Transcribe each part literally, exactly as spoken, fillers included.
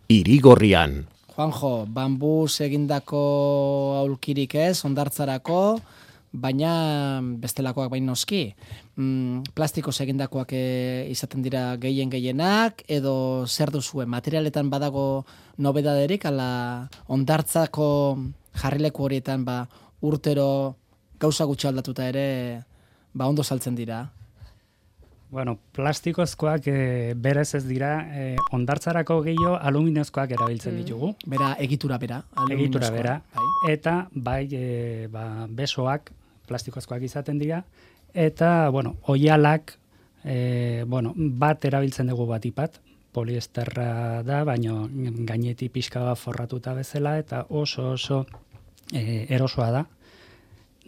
Irigorrian. Juanjo, bambuz egindako aulkirik ez, hondartzarako, baina bestelakoak bain noski. Mm, plastikoz egindakoak e, izaten dira gehien gehienak, edo zer duzue, materialetan badago nobedaderik, ala hondartzako jarrileku horietan ba, urtero gauza gutxi aldatuta ere ba, ondo saltzen dira. Bueno, plastikozkoak e, berez ez dira, e, hondartzarako gehiago aluminozkoak erabiltzen ditugu. Bera, egitura bera. Egitura bera. Bai. Eta bai, e, ba, besoak plastikozkoak izaten dira. Eta, bueno, oialak, e, bueno, bat erabiltzen dugu batipat, poliesterra da, baina gaineti pixka bat forratuta bezala, eta oso oso e, erosoa da.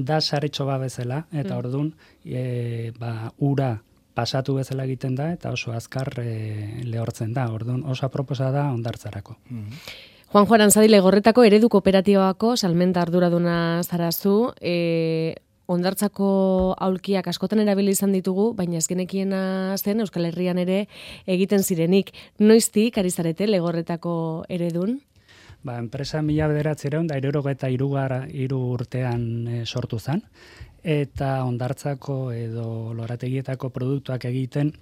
Da saretxo bat bezala, eta mm. ordun e, ba, ura pasatu bezala egiten da, eta oso azkar e, lehortzen da. Ordun oso aproposa da hondartzarako. Mm. Juanjo Aranzadi Legorretako eredu kooperatibako salmenta arduraduna zarazu, e, hondartzako aulkiak askotan erabili izan ditugu, baina ez genekiena zen Euskal Herrian ere egiten zirenik. Noiztik ari zarete Legorretako eredun? Ba, enpresa mila bederatziehun eta hirurogeita hiru urtean e, sortu zen, eta hondartzako edo lorategietako produktuak egiten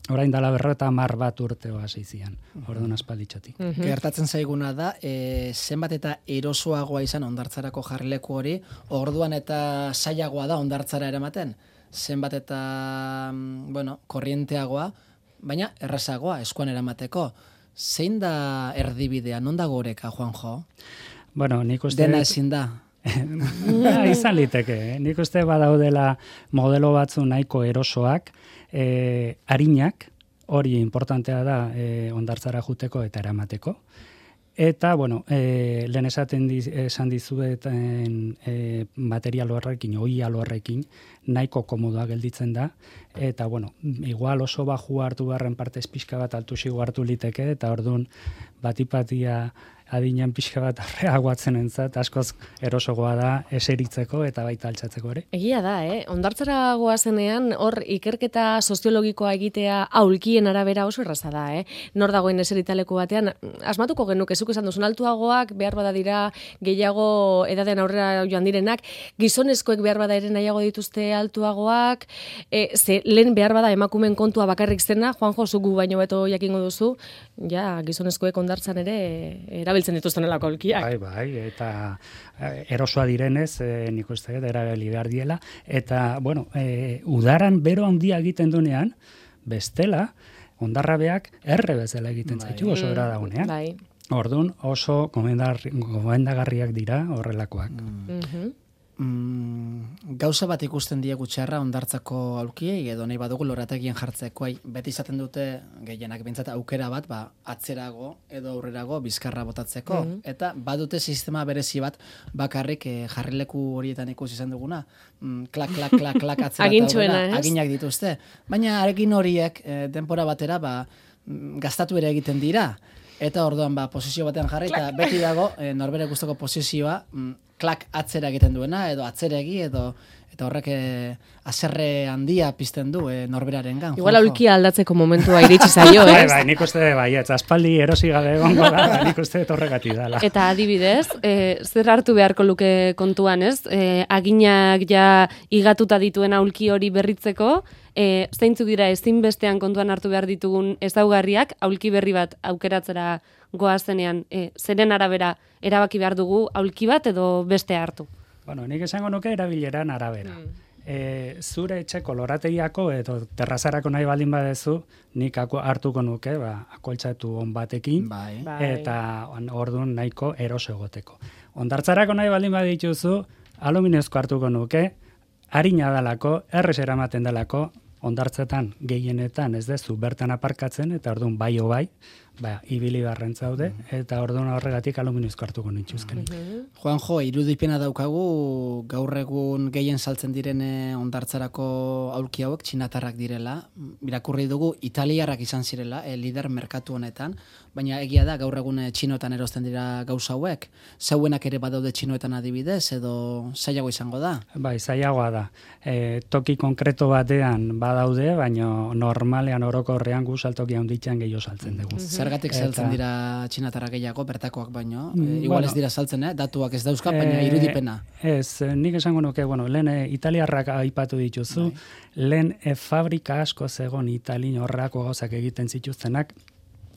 orain dela berreta hamar bat urteo hasi zian, orduan aspalditxotik. Mm -hmm. Gertatzen zaiguna da, e, zenbat eta erosoagoa izan hondartzarako jarrileku hori, orduan eta zailagoa da hondartzara eramaten. Zenbat eta, bueno, korrienteagoa, baina errazagoa eskuan eramateko. Zein da erdibidea, non dago oreka, Juanjo? Bueno, nik uste... Dena ezin da. Ja, izan liteke, eh? Nik uste badaudela modelo batzu nahiko erosoak, e, arinak, hori importantea da e, hondartzara juteko eta eramateko. Eta, bueno, e, lehen esaten diz, esan dizueten e, material horrekin, oial horrekin, nahiko komodoa gelditzen da. Eta, bueno, igual oso baju hartu beharren partez pixka bat altusigo hartu liteke, eta orduan batipatia adinean pixka bat arreagoatzen entzat, askoz erosogoa da eseritzeko eta baita altxatzeko ere. Egia da, eh? Hondartzara goazenean hor ikerketa soziologikoa egitea aulkien arabera oso erraza da, eh? Nor dagoen eseritaleko batean, asmatuko genuke, zuk esan duzun altuagoak, behar bada dira gehiago edadean aurrera joan direnak, gizonezkoek behar bada ere nahiago dituzte altuagoak, e, ze lehen behar bada emakumen kontua bakarrik zena, Juanjo, zugu baino beto jakingo duzu, ja, gizonezkoek hondartzan ere erabiltzen dituzten elako aulkiak. Bai, bai, eta erosoa direnez, e, nik uste dut erabili behar diela, eta, bueno, e, udaran bero handia egiten dunean, bestela, hondarrabeak erre bezala egiten bai. Zaitu oso era daunean. Bai. Orduan oso gomendagarriak dira horrelakoak. Mm. Mm-hmm. Mm, gauza bat ikusten diegu txarra hondartzako aulkiei edo nahi badugu lorategien jartzeko, beti izaten dute gehienak bintzat aukera bat, ba, atzerago edo aurrerago bizkarra botatzeko, mm-hmm. eta badute sistema berezi bat bakarrik eh, jarrileku horietan ikusi izan duguna, mm, klak, klak, klak, klak atzera eta aurrera, aginak dituzte. Baina arekin horiek eh, denpora batera ba, gastatu ere egiten dira, eta orduan ba, posizio batean jarri, eta beti dago eh, norbere gustoko posizioa, mm, klak atzera egiten duena, edo atzeregi, edo eta horrek eh, azerre handia pizten du eh, norberaren gan. Igual aulkia aldatzeko momentua iritsi zaio, eh? Bai, bai, nik uste, bai, ez, aspaldi erosi gabe egongo da, nik uste horregatik dala. Eta adibidez, eh, zer hartu beharko luke kontuan, ez? Eh, aginak ja igatuta dituen aulki hori berritzeko, eh, zeintzuk dira ezinbestean kontuan hartu behar ditugun ezaugarriak, aulki berri bat aukeratzera goazenean, eh, zeren arabera erabaki behar dugu aulki bat edo beste hartu? Bueno, nik esango nuke erabileran arabera. Mm. E, zure etxeko lorategiako edo terrazarako nahi baldin badezu, nik hartuko nuke, ba, akoltxatu on batekin, bai. Eta orduan nahiko eroso egoteko. Hondartzarako nahi baldin badituzu, aluminezko hartuko nuke, harina dalako, errez eramaten dalako, hondartzetan gehienetan ez dezu bertan aparkatzen, eta orduan bai o bai, ba, ibili barren zaude, eta orduan horregatik aluminizko hartuko nintxuzken. Mm-hmm. Juanjo, irudipena daukagu, gaur egun gehien saltzen direne hondartzarako aulki hauek txinatarrak direla, irakurri dugu italiarrak izan zirela, e, lider merkatu honetan, baina egia da gaur egun txinoetan erosten dira gauza hauek, zeuenak ere badaude txinoetan adibidez, edo zailago izango da? Bai, zailagoa da. E, toki konkreto batean badaude, baina normalean orokorrean gu saltoki handitzen gehiago saltzen dugu. Mm-hmm. Zergatik Eta- saltzen dira txinatarra gehiago, bertakoak baino. Mm, E, igual bueno. ez dira saltzen, eh? Datuak ez dauzka, baina Eh, irudipena. Ez, eh, nik esango nuke, bueno, lehen eh, italiarrak aipatu dituzu, Bai. lehen eh, fabrika asko zegon italin horrako gauzak egiten zituztenak,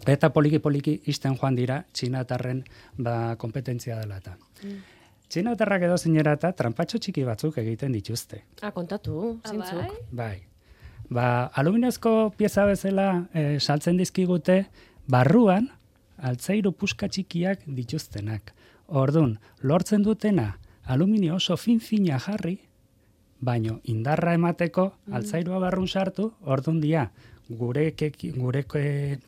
eta poliki-poliki isten joan dira txinatarren ba, kompetentzia dela eta. Txinatarrak edo zinera eta trampatxo txiki batzuk egiten dituzte. Ah, kontatu, Ah, zintzuk. Bai. Ba, aluminiozko pieza bezala eh, saltzen dizkigute, barruan altzairu puska txikiak dituztenak. Ordun, lortzen dutena aluminio oso fin-fina jarri, baino indarra emateko altzairua barrun sartu, ordun dia gure keki, gure e,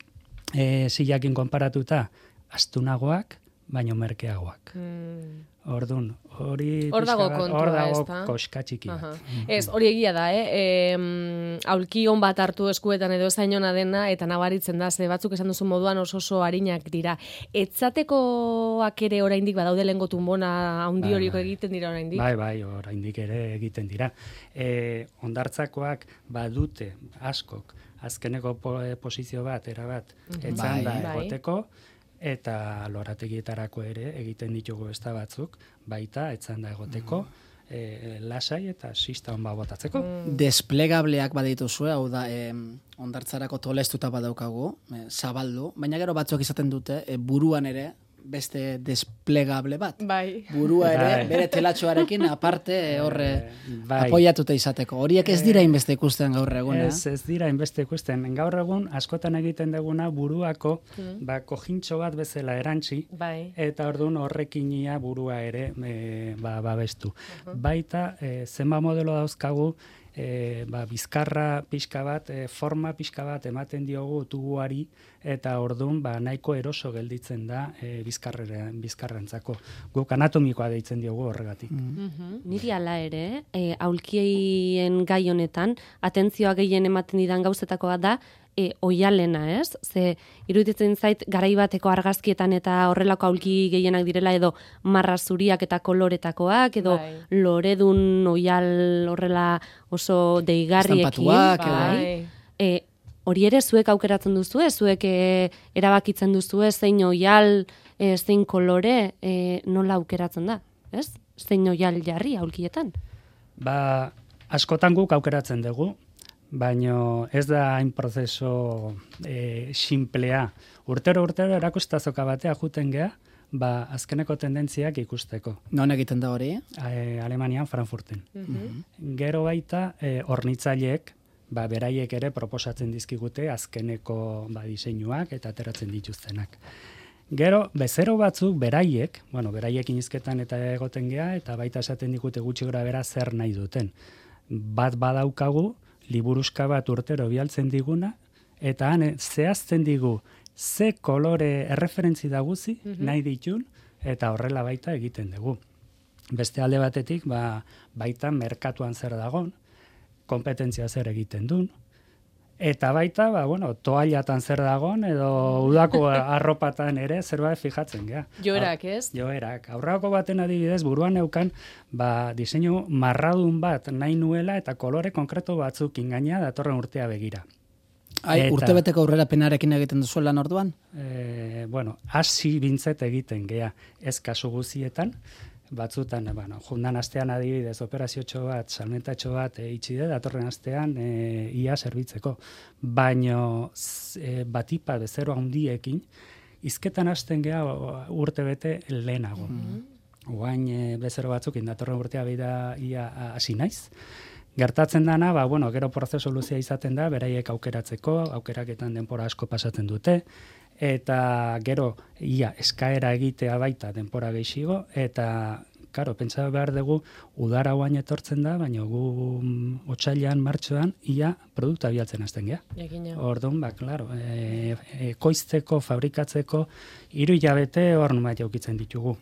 e, silakin konparatuta astunagoak, baino merkeagoak. Mm. Ordun, hori Hor dago pixka bat, kontua, hor dago ezta? koska txiki bat. Aha. Ez, hori egia da, eh? E, aulki on bat hartu eskuetan edo zainona dena, eta nabaritzen da, ze batzuk esan duzu moduan oso oso harinak dira. Etzatekoak ere oraindik badaude lengo tunbona handi Bai, horiko bai. egiten dira oraindik. Bai, bai, oraindik ere egiten dira. E, ondartzakoak badute askok azkeneko po, e, posizio bat, erabat, etzan da Bai. Bai. egoteko, eta lorategietarako ere egiten ditugu besta batzuk, baita etzan da egoteko, e, lasai eta sista on botatzeko. Desplegableak badituzue, hau da, eh, ondartzarako tolestuta badaukagu, eh, zabaldu, baina gero batzuk izaten dute, eh, buruan ere, beste desplegable bat. Bai. Burua ere, Bai. bere telatxoarekin aparte eh, horre bai. apoiatuta izateko. Horiek ez dira inbeste ikusten gaur egun, eh? Ez, ez dira inbeste ikusten. Gaur egun askotan egiten duguna buruako ba, kojintxo bat bezala erantzi, Bai. eta ordun horrekin ia burua ere e, ba, babestu. Baita, e, zenba modelo dauzkagu, e, ba, bizkarra pixka bat, e, forma pixka bat ematen diogu tubuari, eta ordun ba, nahiko eroso gelditzen da e, bizkarrera, bizkarrentzako. Guk anatomikoa deitzen diogu horregatik. Niri ala ere, e, aulkien gai honetan, atentzioa gehien ematen didan gauzetakoa da, e, oialena, ez? Ze, iruditzen zait, garai bateko argazkietan eta horrelako aulki gehienak direla, edo marra zuriak eta koloretakoak, edo Bai. loredun oial horrela oso deigarriekin. Estampatuak, edo. Bai. E, hori ere zuek aukeratzen duzu, zuek e, erabakitzen duzu, zein oial, e, zein kolore, e, nola aukeratzen da, ez? Zein oial jarri aulkietan. Ba, askotan guk aukeratzen dugu, baino ez da hain prozeso e, simplea. Urtero urtero erakustazoka batea juten gea, ba, azkeneko tendentziak ikusteko. Non egiten da hori? E, Alemanian, Frankfurten. Gero baita, e, hornitzaileek, ba, beraiek ere proposatzen dizkigute azkeneko ba, diseinuak eta ateratzen dituztenak. Gero, bezero batzuk beraiek, bueno, beraiekin hizketan eta egoten gea, eta baita esaten digute gutxi gora bera zer nahi duten. Bat badaukagu, liburuska bat urtero bialtzen diguna, eta han zehazten digu ze kolore erreferentzi daguzi, nahi ditun, eta horrela baita egiten dugu. Beste alde batetik, ba, baita merkatuan zer dagon, kompetentzia zer egiten duen, eta baita, ba, bueno, toallatan zer dagon, edo udako arropatan ere zerbait fijatzen gea. Joerak, ez? Joerak. Aurrako baten adibidez, buruan neukan, ba, diseinu marradun bat nahi nuela eta kolore konkreto batzuk ingaina datorren urtea begira. Ai, Eta- urtebeteko aurrera penarekin egiten duzu lan orduan? E, bueno, hasi bintzet egiten gea, ez kasu guzietan, batzutan, bueno, jundan astean adibidez operaziotxo bat, salmentatxo bat e, itxi de, datorren astean e, ia zerbitzeko. Baino e, batipa bezero handiekin, izketan hasten gea urte bete lehenago. Oain e, bezero batzuk indatorren urtea bida ia hasi naiz. Gertatzen dana, ba, bueno, gero prozesu luzea izaten da, beraiek aukeratzeko, aukeraketan denpora asko pasatzen dute, eta gero ia eskaera egitea baita denpora gehiago, eta karo, pentsa behar dugu udara guain etortzen da, baina gu mm, otsailean, martxoan, ia produkta bialtzen hasten gea. Jakina. Orduan, ba, klaro, e, e, koizteko, fabrikatzeko, hiru hilabete hor numait jaukitzen ditugu.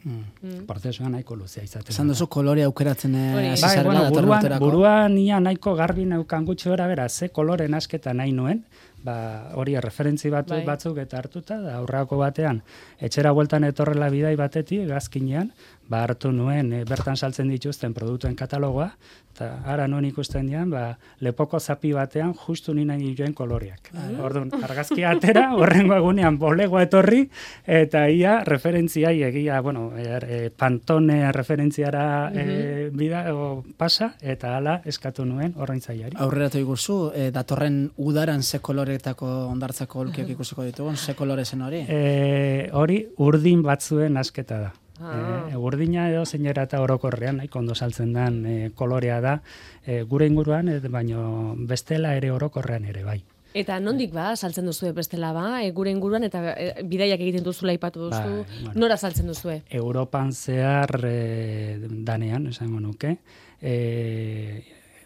Prozesua nahiko luzea izaten. Esan da. duzu kolore aukeratzen eh, Hori. hasi Bai, zarela bueno, datorren buruan, urterako. buruan ia nahiko garbi neukan gutxi bera, bera, ze kolore nasketa nahi nuen, ba, hori referentzi bat, Bai. batzuk eta hartuta, da aurrako batean, etxera bueltan etorrela bidai batetik, gazkinean, ba, hartu nuen, e, bertan saltzen dituzten produktuen katalogoa, eta ara nuen ikusten dian, ba, lepoko zapi batean justu nina joen koloreak. Orduan, argazkia atera, horrengo egunean bolegoa etorri, eta ia referentziai egia, bueno, er, e, Pantone referentziara e, bida, o, pasa, eta hala eskatu nuen orraintzaileari. Aurreratu iguzu, e, datorren udaran ze koloretako ondartzako aulkiak ikusiko ditugun, ze kolore zen hori? E, hori urdin batzuen asketa da. Ah. E, urdina edo zeinera eta orokorrean, nahiko ondo saltzen den e, kolorea da, e, gure inguruan, e, baino bestela ere orokorrean ere bai. Eta nondik ba, saltzen duzue bestela ba, e, gure inguruan, eta e, bidaiak egiten duzula aipatu duzu, Bai, bueno. nora saltzen duzue? Europan zehar e, danean, esango nuke, e,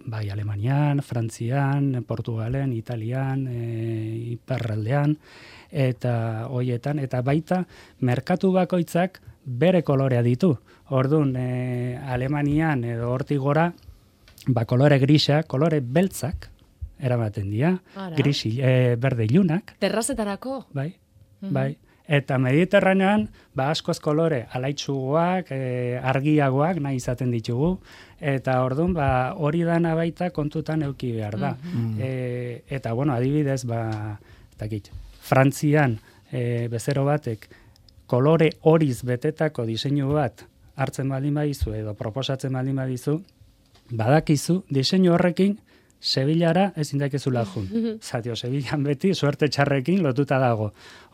bai Alemanian, Frantzian, Portugalen, Italian, e, iparraldean, eta hoietan, eta baita merkatu bakoitzak bere kolorea ditu. Orduan, e, Alemanian edo hortik gora, ba kolore grisa, kolore beltzak, eramaten dira, Ara. grisi, e, berde ilunak, Terrazetarako? bai, bai. Eta Mediterranean, ba askoz kolore alaitsugoak, e, argiagoak nahi izaten ditugu, eta orduan, ba hori dana baita kontutan euki behar da. E, eta, bueno, adibidez, ba, ez dakit, Frantzian e, bezero batek kolore horiz betetako diseinu bat hartzen baldin badizu edo proposatzen baldin badizu, badakizu diseinu horrekin Sevillara ezin dakezula jun. Zatio, Sevillan beti suerte txarrekin lotuta dago.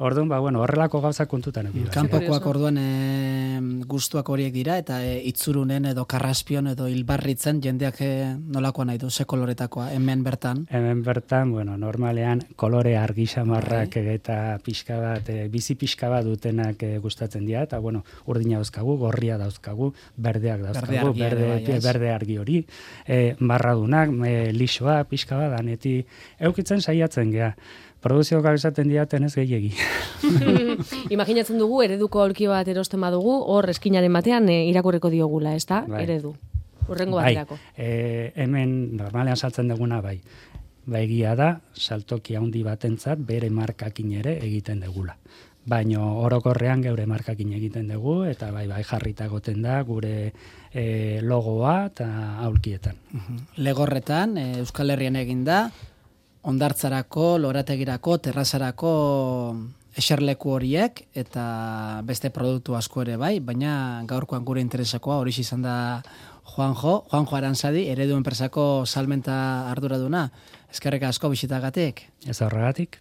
Orduan, ba, bueno, horrelako gauzak kontutan eduki. Kanpokoak orduan e, gustuak horiek dira, eta e, itzurunen edo karraspion edo hilbarritzen jendeak e, nolakoa nahi du, ze koloretakoa, hemen bertan. Hemen bertan, bueno, normalean kolore argi xamarrak eta pixka bat, e, bizi pixka bat dutenak e, gustatzen dira, eta bueno, urdina dauzkagu, gorria dauzkagu, berdeak dauzkagu, Berde argia ere berde, bai, ez? berde argi hori, e, barradunak, e, lixoa, pixka bat, daneti, eukitzen saiatzen gea. Produzioak esaten diaten ez gehiegi. Imaginatzen dugu, ereduko aulki bat erosten badugu, hor eskinaren batean e, irakurreko diogula, ez da? Bai. Eredu. Urrengo Bai, baterako. e, hemen normalean saltzen duguna bai. Ba egia da, saltoki handi batentzat bere markakin ere egiten dugula. Baino orokorrean geure markakin egiten dugu, eta bai bai jarrita goten da gure e, logoa eta aulkietan. Legorretan, e, Euskal Herrian egin da, ondartzarako, lorategirako, terrazarako eserleku horiek, eta beste produktu asko ere bai, baina gaurkoan gure interesakoa hori izan da Juanjo, Juanjo Aranzadi, eredu enpresako salmenta arduraduna. Eskerrik asko bisitagatik. Ez horregatik?